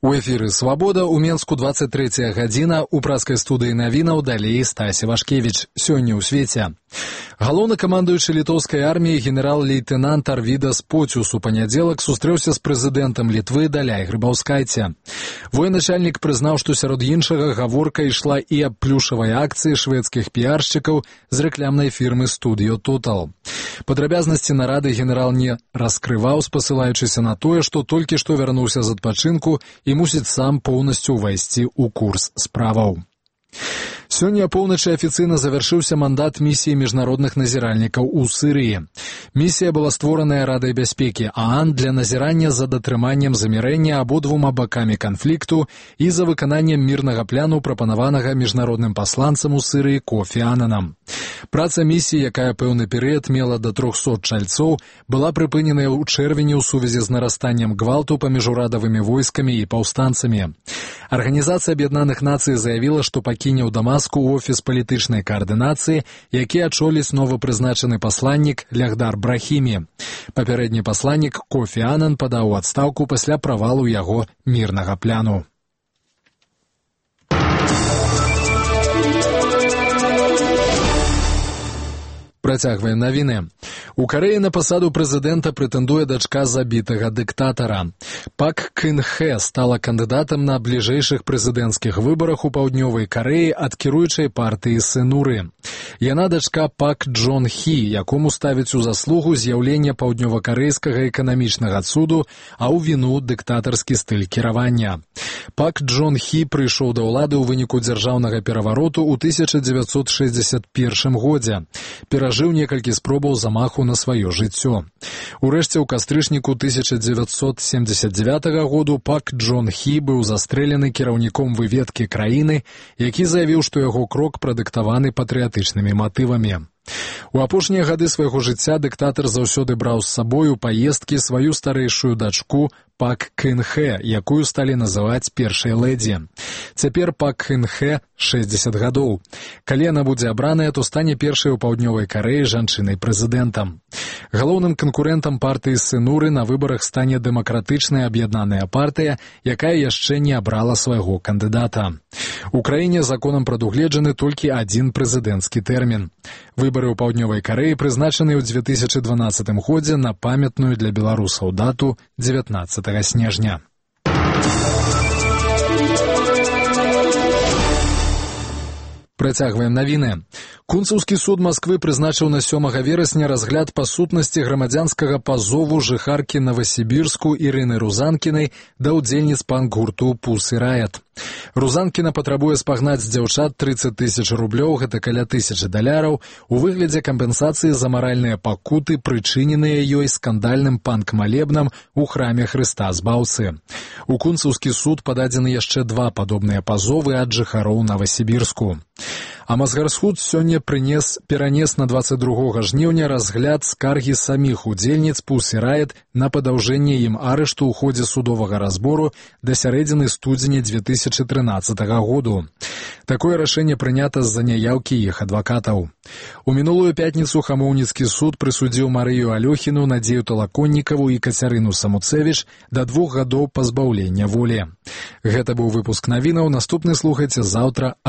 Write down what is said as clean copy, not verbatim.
У эфіры «Свабода» у Менску 23 гадзіна, у праскай студыі навінаў далей Стасі Вашкевіч. Сёння ў свеце. Галоўнакамандуючы літоўскай арміі генерал-лейтенант Арвідас Поціус у панядзелак сустрэўся з прэзідэнтам Літвы Даляй Грыбаўскайце. Военачальнік прызнаў, што сярод іншага гаворка ішла і аб плюшавай акцыі шведскіх піяршчыкаў з рэклямнай фірмы «Студіо Тотал». Падрабязнасці нарады генерал не раскрываў, спасылаючыся на тое, што толькі што вярнуўся з адпачынку і мусіць сам поўнасцю ўвайсці ў курс справаў. Сёння апоўначы афіцыйна завяршыўся мандат місіі міжнародных назіральнікаў у Сірыі. Місія была створаная Радай бяспекі ААН для назірання за датрыманнем замірэння абодвума бакамі канфлікту і за выкананнем мірнага пляну, прапанаванага міжнародным пасланцам у Сірыі Кофі Ананам. Праца місіі, якая пэўны перыяд мела да 300 чальцоў, была прыпыненая ў чэрвені ў сувязі з нарастаннем гвалту паміж урадавымі войскамі і паўстанцамі. Арганізацыя Аб'яднаных Нацый заявіла, што пакіне ў Дамаску офіс палітычнай каардынацыі, які ачоліць новапрызначаны пасланнік Лягдар Брахімі. Папярэдні пасланнік Кофі Анан падаў у адстаўку пасля правалу яго мірнага пляну. Працягваем навіны. У Карэі на пасаду прэзідэнта прэтэндуе дачка забітага дыктатара. Пак Кын Хэ стала кандыдатам на бліжэйшых прэзідэнцкіх выбарах у Паўднёвай Карэі ад кіруючай партыі Сэнуры. Яна дачка Пак Джон Хі, якому ставіць у заслугу з'яўлення паўднёвакарэйскага эканамічнага цуду, а ў віну дыктатарскі стыль кіравання. Пак Джон Хі прыйшоў да ўлады ў выніку дзяржаўнага перавароту ў 1961 годзе. Перажыў некалькі спробаў замаху на сваё жыццё. Урэшце, ў кастрычніку 1979 году Пак Джон Хі быў застрэлены кіраўніком выведкі краіны, які заявіў, што яго крок прадыктаваны патрыятычнымі матывамі. У апошнія гады свайго жыцця дыктатар заўсёды браў з сабой у паездкі сваю старэйшую дачку Пак Кын Хэ, якую сталі называць першай лэдзі. Цяпер Пак Кын Хэ 60 гадоў. Калі яна будзе абраная, то стане першай у Паўднёвай Карэі жанчынай-прэзідэнтам. Галоўным канкурэнтам партыі Сэнуры на выбарах стане дэмакратычная аб'яднаная партыя, якая яшчэ не абрала свайго кандыдата. У краіне законам прадугледжаны толькі адзін прэзідэнцкі тэрмін. Выбары ў Паўднёвай Карэі прызначаны ў 2012 годзе на памятную для беларусаў дату 19 снежня. Працягваем навіны. Кунцаўскі суд Масквы прызначыў на 7 верасня разгляд па сутнасці грамадзянскага пазову жыхаркі Новасібірску Ірыны Рузанкінай да ўдзельніц панк-гурту «Пусы Райат». Рузанкіна патрабуе спагнаць з дзяўчат 30 000 рублёў, гэта каля $1000, у выглядзе кампенсацыі за маральныя пакуты, прычыненыя ёй скандальным панк-малебнам у храме Хрыста Збаўцы. У Кунцаўскі суд пададзены яшчэ 2 падобныя пазовы ад жыхароў Новасібірску. А Мазгарсхуд сёння перанес на 22 жніўня разгляд скаргі саміх удзельніц «Пусы Райат» на падаўжэнне ім арышту ў ходзе судовага разбору да сярэдзіны студзеня 2013 году. Такое рашэнне прынята з-за няяўкі іх адвакатаў. У мінулую пятніцу Хамоўніцкі суд прысудзіў Марыю Алёхіну, Надзею Талаконнікаву і Кацярыну Самуцэвіч да 2 гадоў пазбаўлення волі. Гэта быў выпуск навінаў. Наступны слухайце заўтра